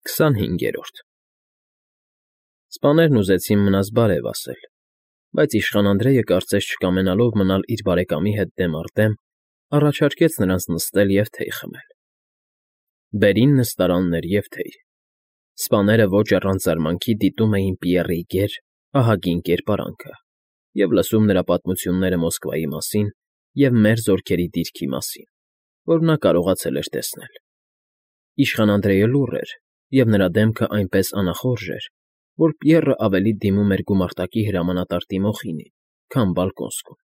25-րդ Սպաներն ուզեցին մնաս բարև ասել, բայց իշխան Անդրեյը, կարծես չկամենալով մնալ իր բարեկամի հետ դեմ առ դեմ, առաջարկեց նրանց նստել և թեյ խմել. Բերին նստարաններ և թեյ. սպաները ոչ առանց զարմանքի դիտում էին Պիեռի գեր, ահագին կերպարանքը և լսում նրա պատմությունները Մոսկվայի մասին և մեր զորքերի դիրքի մասին, որ նա կարողացել էր տեսնել. Իշխան Անդրեյը լուռ էր, և նրա դեմքը այնպես անախորժ էր, որ Պիեռը ավելի դիմում էր գումարտակի հրամանատար Տիմոխինին, քան Բալկոնսկուն։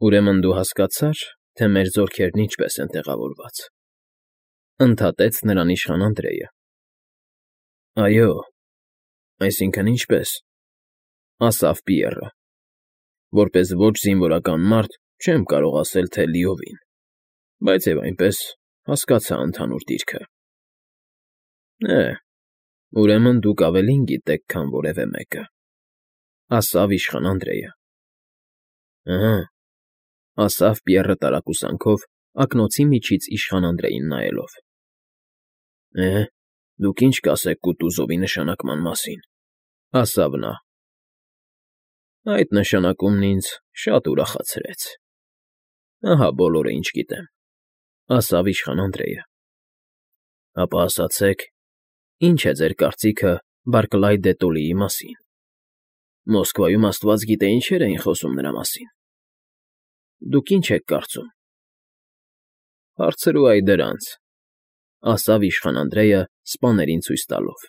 Ուրեմն դու հասկացա՞ր, թե մեր զորքերն ինչպես են տեղավորված,֊ ընդհատեց նրան իշխան Անդրեյը։ ֊ Այո, այսինքն՝ ինչպես,֊ ասավ Պիեռը, որպես ոչ զինվորական մարդ չեմ կարող ասել, թե լիովին, բայց և այնպես հասկացա ընդհանուր դիրքը։ ֊ Ուրեմն դուք ավելին գիտեք, քան որևէ մեկը,֊ ասավ իշխան Անդրեյը։ ֊ Ըհը,֊ ասավ Պիեռը տարակուսանքով, ակնոցի միջից իշխան Անդրեյին նայելով։ ֊ Դուք ինչ կասեք Կուտուզովի նշանակման մասին,֊ ասավ նա։ ֊ Այդ նշանակումն ինձ շատ ուրախացրեց։ Ահա բոլորը, ինչ գիտեմ,֊ ասավ իշխան Անդրեյը։ ֊ Ապա ասացեք, ի՞նչ է ձեր կարծիքը Բարկլայ դե Տոլիի մասին։ Մոսկվայում աստված գիտե ինչեր էին խոսում նրա մասին։ Դուք ի՞նչ եք կարծում։ ֊ Հարցրու այ դրանց,֊ ասավ իշխան Անդրեյը սպաներին ցույց տալով։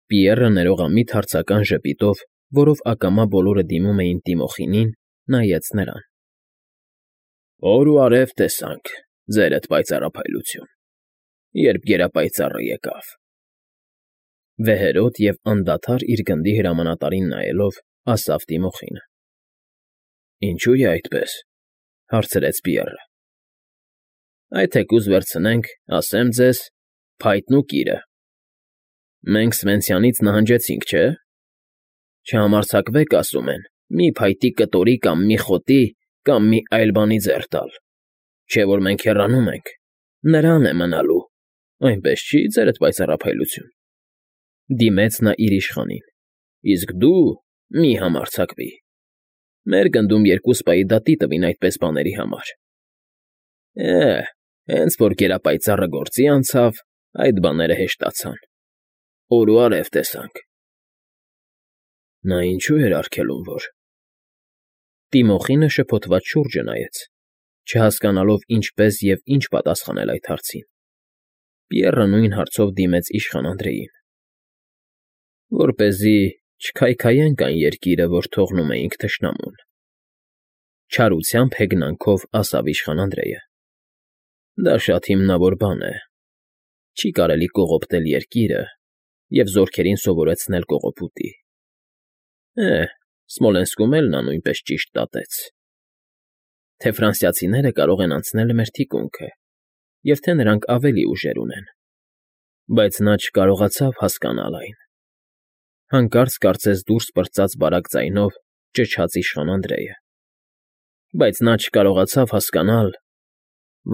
Պիեռը ներողամիտ հարցական ժպիտով, որով ակամա բոլորը դիմում էին Տիմոխինին, նայեց նրան։ ֊ Օր ու արև տեսանք, ձերդ պայծառափայլություն, երբ գերապայծառը եկավ,֊ վեհերաս և անդադար իր գնդի հրամանատարին նայելով, ասավ Տիմոխինը։ ֊ Ինչո՞ւ է այդպես,֊ հարցրեց Պիեռը։ ֊ Այ թեկուզ վերցնենք, ասեմ ձեզ, փայտն ու կիրը։ Մենք Սվենցյանից նահանջեցինք, չէ՞։ Չհամարձակվեք, ասում են, մի փայտի կտորի կամ մի խոտի կամ մի այլ բանի ձեռ տալ, չէ՞ որ մենք հեռանում ենք, նրան է մնալու, այնպես չի՞, ձերդ պայծառափայլություն,֊ դիմեց նա իր իշխանին,֊ իսկ դու մի համարձակվի, մեր գնդում 2 սպայի դատի տվին այդպես բաների համար։ Հենց որ գերապայծառը գործի անցավ, այդ բաները հեշտացան, օր ու արև տեսանք։ Նա ինչո՞ւ էր արգելում, որ… Տիմոխինը շփոթված շուրջը նայեց, չհասկանալով ինչպես և ինչ պատասխանել այդ հարցին։ Պիեռը նույն հարցով դիմեց իշխան Անդրեյին։ ֊ Որպեսզի չքայքայենք այն երկիրը, որ թողնում էինք թշնամուն,֊ չարությամբ հեգնանքով ասավ իշխան Անդրեյը։ ֊ Դա շատ հիմնավոր բան է։ Չի կարելի կողոպտել երկիրը և զորքերին սովորեցնել կողոպուտի։ Սմոլենսկում էլ նա նույնպես ճիշտ դատեց, թե ֆրանսիացիները կարող են անցնել մեր թիկունքը և թե նրանք ավելի ուժեր ունեն, բայց նա չկարողացավ հասկանալ այն,֊ հանկարծ կարծես դուրս պրծաց բարակ ձայնով ճչաց իշխան Անդրեյը,֊ բայց նա չկարողացավ հասկանալ,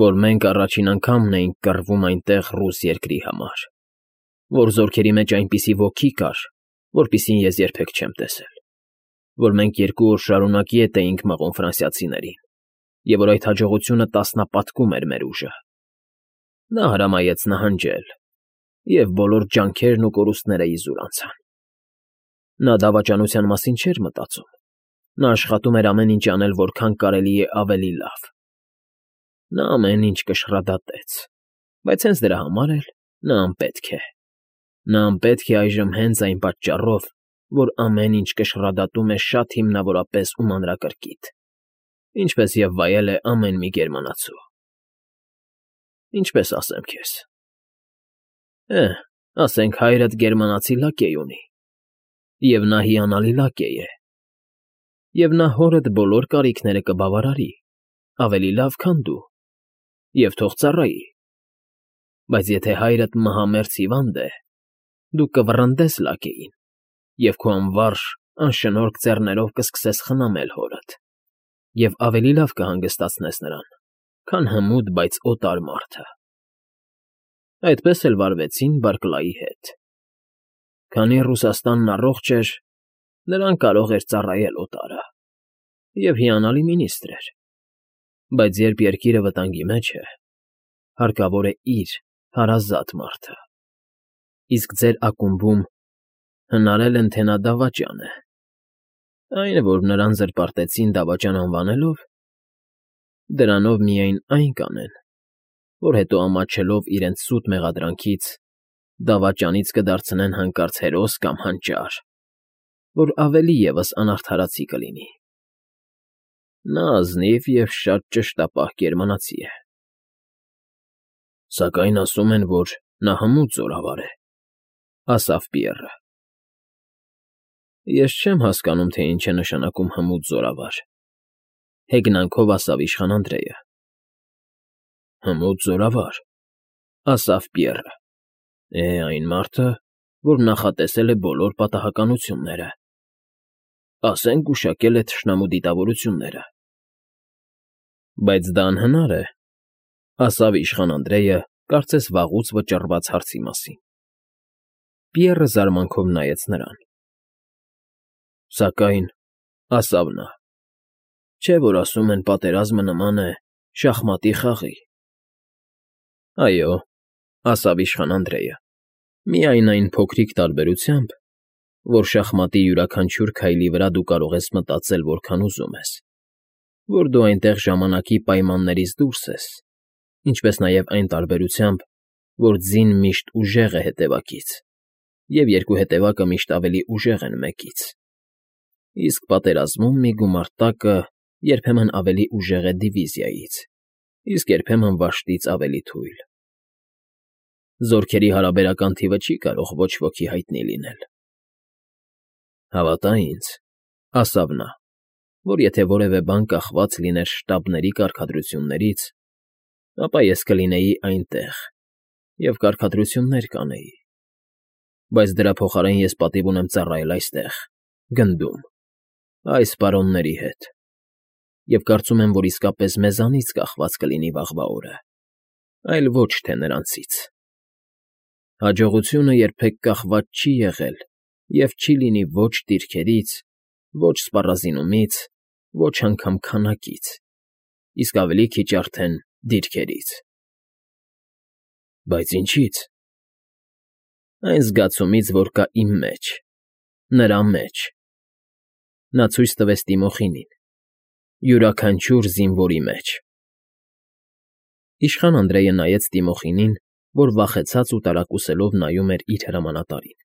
որ մենք առաջին անգամն էինք կռվում այնտեղ ռուս երկրի համար, որ զորքերի մեջ այնպիսի ոգի կար, որպիսին ես երբեք չեմ տեսել, որ մենք 2 օր շարունակ ետ էինք մղում ֆրանսիացիներին և որ այդ հաջողությունը տասնապատկում էր մեր ուժը։ Նա հրամայեց նահանջել, և բոլոր ջանքերն ու կորուստները իզուր անցան։ Նա դավաճանության մասին չէր մտածում, նա աշխատում էր ամեն ինչ անել որքան կարելի է ավելի լավ։ Նա ամեն ինչ կշռադատեց, բայց հենց դրա համար էլ նա անպետք է։ Նա անպետք է այժմ հենց այն պատճառով, որ ամեն ինչ կշռադատում է շատ հիմնավորապես ու մանրակրկիտ, ինչպես և վայել է ամեն մի գերմանացու։ Ինչպես ասեմ քեզ… Ասենք հայրդ գերմանացի լակեյ ունի, և նա հիանալի լակեյ է, և նա հորդ բոլոր կարիքները կբավարարի, ավելի լավ, քան դու, և թող ծառայի, բայց եթե հայրդ մահամերձ հիվանդ է, դու կվռնդես լակեյին և քո անվարժ, անշնորհք ձեռներով կսկսես խնամել հորդ և ավելի լավ կհանգստացնես նրան, քան հմուտ, բայց օտար մարդը։ Այդպես էլ վարվեցին Բարկլայի հետ։ Քանի Ռուսաստանն առողջ էր, նրան կարող էր ծառայել օտարը, և հիանալի մինիստրր էր, բայց երբ երկիրը վտանգի մեջ է, հարկավոր է իր հարազատ մարդը, իսկ ձեր ակումբում հնարել են, թե նա դավաճան է, այն, որ նրան զրպարտեցին դավաճան անվանելով, դրանով միայն այն կանեն, որ հետո ամաչելով իրենց սուտ մեղադրանքից, դավաճանից կդարձնեն հանկարծ հերոս կամ հանճար, որ ավելի ևս անարդարացի կլինի։ Նա ազնիվ և շատ ճշտապահ գերմանացի է։ Սակայն ասում են, որ նա հմուտ զորավար է, ասավ Պիեռը։ Ես չեմ հասկանում, թե ինչ է նշանակում հմուտ զորավար, հեգնանքով ասավ իշխան Անդրեյը։ Հմուտ զորավար, ասավ Պիեռը, այն մարդը, որ նախատեսել է բոլոր պատահականությունները, ասենք գուշակել է թշնամու դիտավորությունները։ Բայց դա անհնար է, ասավ իշխան Անդրեյը, կարծես վաղուց վճռված հարցի մասին։ Պիեռը զարմանքով նայեց նրան։ Սակայն, ասավ նա, չէ՞ որ ասում են պատերազմը նման է շախմատի խաղի։ Այո, ասավ իշխան Անդրեյը, միայն այն փոքրիկ տարբերությամբ, որ շախմատի յուրաքանչյուր քայլի վրա դու կարող ես մտածել որքան ուզում ես, որ դու այնտեղ ժամանակի պայմաններից դուրս ես, ինչպես նաև այն տարբերությամբ, որ ձին միշտ ուժեղ է հետևակից, և երկու հետևակը միշտ ավելի ուժեղ են մեկից, իսկ պատերազմում մի գումարտակը երբեմն ավելի ուժեղ է դիվիզիայից, իսկ երբեմն վաշտից ավելի թույլ։ Զորքերի հարաբերական թիվը չի կարող ոչ ոքի հայտնի լինել։ Հավատա ինձ, ասավ նա, որ եթե որևէ բան կախված լիներ շտաբների կարգադրություններից, ապա ես կլինեի այնտեղ և կարգադրություններ կանեի, բայց դրա փոխարեն ես պատիվ ունեմ ծառայել այստեղ, գնդում, այս պարոնների հետ, և կարծում եմ, որ իսկապես մեզանից կախված կլինի վաղվա օրը, այլ ոչ թե նրանցից։ Հաջողությունը երբեք կախված չի եղել և չի լինի ոչ դիրքերից, ոչ սպառազինումից, ոչ անգամ քանակից, իսկ ավելի քիչ արդեն դիրքերից։ Բայց ինչի՞ց։ Այն զգացումից, որ կա իմ մեջ, նրա մեջ։ Նա ցույց տվեց Տիմոխինին, յուրաքանչյուր զինվորի մեջ։ Իշխան Անդրեյը նայեց Տիմոխինին, որ վախեցած ու տարակուսելով նայում էր իր հրամանատարին։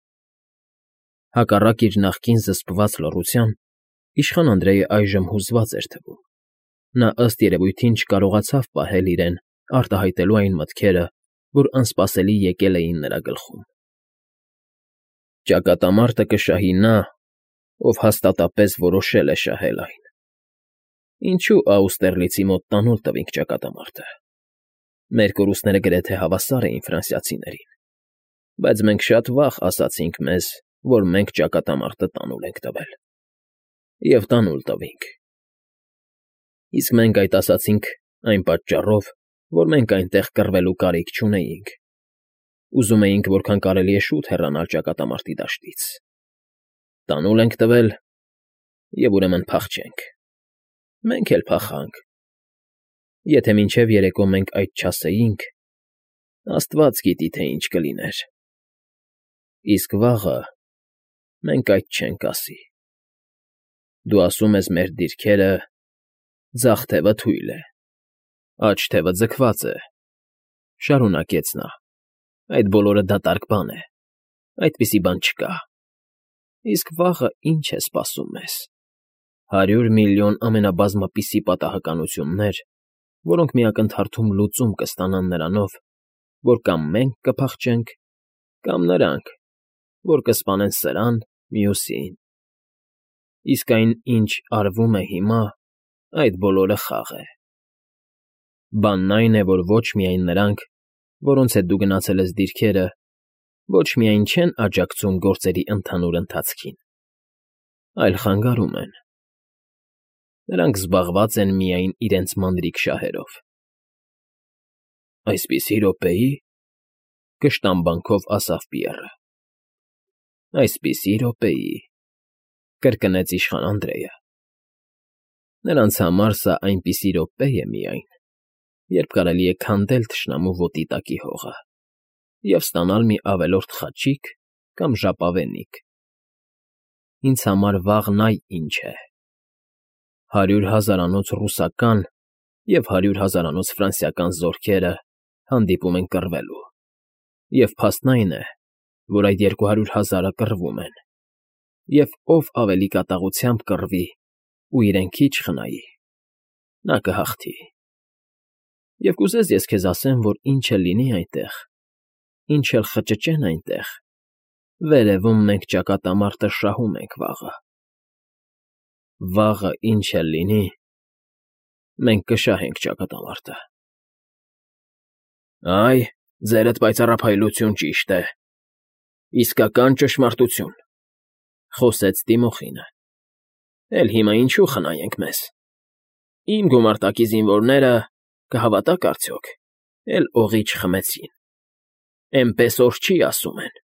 Հակառակ իր նախկին զսպված լռության, իշխան Անդրեյը այժմ հուզված էր թվում։ Նա ըստ երևույթին չկարողացավ պահել իրեն արտահայտելու այն մտքերը, որ անսպասելի եկել էին նրա գլխում։ Ճակատամարտը կշահի նա, ով հաստատապես որոշել է շահել այն։ Ինչու Աուստերլիցի մոտ տանուլ տվինք ճակատամարտը։ Մեր կորուստները գրեթե հավասար էին ֆրանսիացիներին, բայց մենք շատ վաղ ասացինք մեզ, որ մենք ճակատամարտը տանուլ ենք տվել։ Եվ տանուլ տվինք։ Իսկ մենք այդ ասացինք այն պատճառով, որ մենք այնտեղ կռվելու կարիք չունեինք։ Ուզում էինք որքան կարելի է շուտ հեռանալ ճակատամարտի դաշտից։ Տանուլ ենք տվել, և ուրեմն փախչենք։ Մենք էլ փախանք։ Եթե մինչև երեկո մենք այդ չասեինք, Աստված գիտի, թե ինչ կլիներ։ Իսկ վաղը մենք այդ չենք ասի։ Դու ասում ես մեր դիրքերը, ձախ թևը թույլ է, աջ թևը ձգված է, շարունակեց նա, այդ բոլորը դատարկ բան է, այդպիսի բան չկա։ Իսկ վաղը ինչ է սպասում մեզ։ 100 միլիոն ամենաբազմապիսի պատահականություններ, որոնք միակնթարթում լուծում կստանան նրանով, որ կամ մենք կփախչենք, կամ նրանք, որ կսպանեն սրան, մյուսին։ Իսկ այն, ինչ արվում է հիմա, այդ բոլորը խաղ է։ Բանն այն է, որ ոչ միայն նրանք, որոնց հետ դու գնացել ես դիրքերը, ոչ միայն չեն աջակցում գործերի ընդհանուր ընթացքին, այլ խանգարում են։ Նրանք զբաղված են միայն իրենց մանրիկ շահերով։ Այսպիսի րոպեի՞, կշտամբանքով ասավ Պիեռը։ Այսպիսի րոպեի, կրկնեց իշխան Անդրեյը։ Նրանց համար սա այնպիսի րոպե է միայն, երբ կարելի է քանդել թշնամու ոտի տակի հողը և ստանալ մի ավելորդ խաչիկ կամ ժապավենիք։ Ինձ համար վաղն այ ինչ է. 100 հազարանոց ռուսական և 100 հազարանոց ֆրանսիական զորքերը հանդիպում են կռվելու, և փաստն այն է, որ այդ 200 հազարը կռվում են, և ով ավելի կատաղությամբ կռվի ու իրեն քիչ խնայի, նա կհաղթի։ Եվ կուզես ես քեզ ասեմ, որ ինչ էլ լինի այնտեղ, ինչ էլ խճճեն այնտեղ, վերևում մենք ճակատամարտը շահում ենք վաղը։ Վաղը ինչ էլ լինի, մենք կշահենք ճակատամարտը։ Այ, ձերդ պայծառափայլություն ճիշտ է, իսկական ճշմարտություն, խոսեց Տիմոխինը։ Էլ հիմա ինչու խնայենք մեզ։ Իմ գումարտակի զինվորները, կհավատաք արդյոք, էլ օղի չխմեցին, էնպես օր չի ասում են։